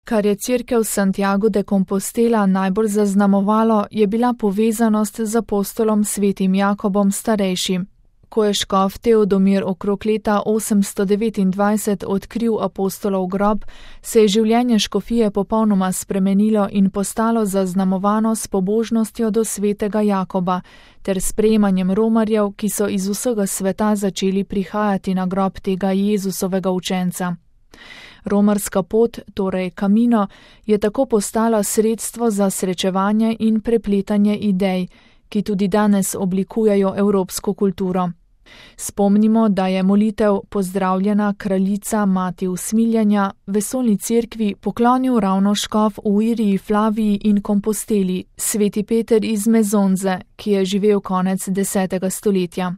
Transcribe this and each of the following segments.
Kar je cerkev Santiago de Compostela najbolj zaznamovalo, je bila povezanost z apostolom svetim Jakobom starejšim. Ko je škof Teodomir okrog leta 829 odkril apostolov grob, se je življenje škofije popolnoma spremenilo in postalo zaznamovano s pobožnostjo do svetega Jakoba ter sprejemanjem romarjev, ki so iz vsega sveta začeli prihajati na grob tega Jezusovega učenca. Romarska pot, torej Camino, je tako postala sredstvo za srečevanje in prepletanje idej, ki tudi danes oblikujejo evropsko kulturo. Spomnimo, da je molitev Pozdravljena kraljica mati usmiljanja vesoljni cerkvi poklonil ravno škof v Iriji, Flaviji in Komposteli, sveti Peter iz Mezonze, ki je živel konec 10. stoletja.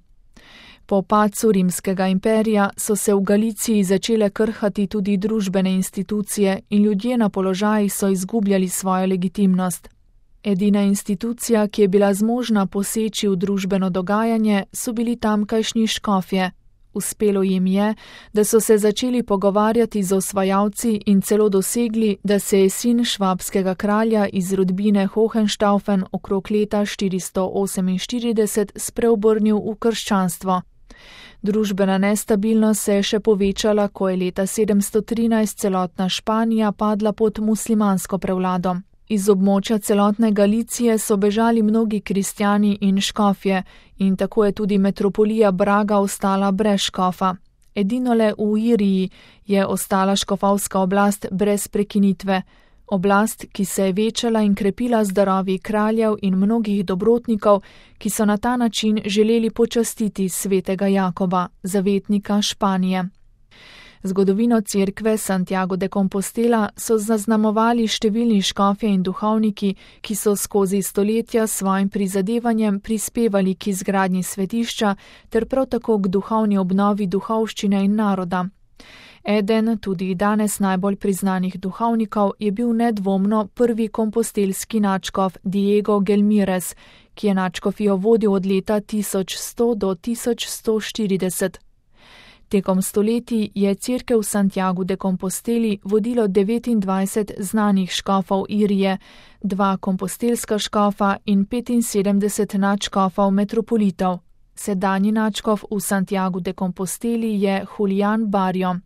Po padcu rimskega imperija so se v Galiciji začele krhati tudi družbene institucije in ljudje na položajih so izgubljali svojo legitimnost. Edina institucija, ki je bila zmožna poseči v družbeno dogajanje, so bili tamkajšnji škofje. Uspelo jim je, da so se začeli pogovarjati z osvajalci in celo dosegli, da se je sin švabskega kralja iz rodbine Hohenstaufen okrog leta 448 spreobrnil v krščanstvo. Družbena nestabilnost se je še povečala, ko je leta 713 celotna Španija padla pod muslimansko prevlado. Iz območja celotne Galicije so bežali mnogi kristjani in škofje in tako je tudi metropolija Braga ostala brez škofa. Edinole v Iriji je ostala škofovska oblast brez prekinitve. Oblast, ki se je večala in krepila z darovi kraljev in mnogih dobrotnikov, ki so na ta način želeli počastiti svetega Jakoba, zavetnika Španije. Zgodovino cerkve Santiago de Compostela so zaznamovali številni škofje in duhovniki, ki so skozi stoletja s svojim prizadevanjem prispevali k izgradnji svetišča ter prav tako k duhovni obnovi duhovščine in naroda. Eden, tudi danes najbolj priznanih duhovnikov, je bil nedvomno prvi kompostelski nadškof Diego Gelmírez, ki je nadškofijo vodil od leta 1100 do 1140. Tekom stoletij je cerkev Santiago de Composteli vodilo 29 znanih škofov Irije, 2 kompostelska škofa in 75 nadškofov metropolitov. Sedanji nadškof v Santiago de Composteli je Julián Barrio.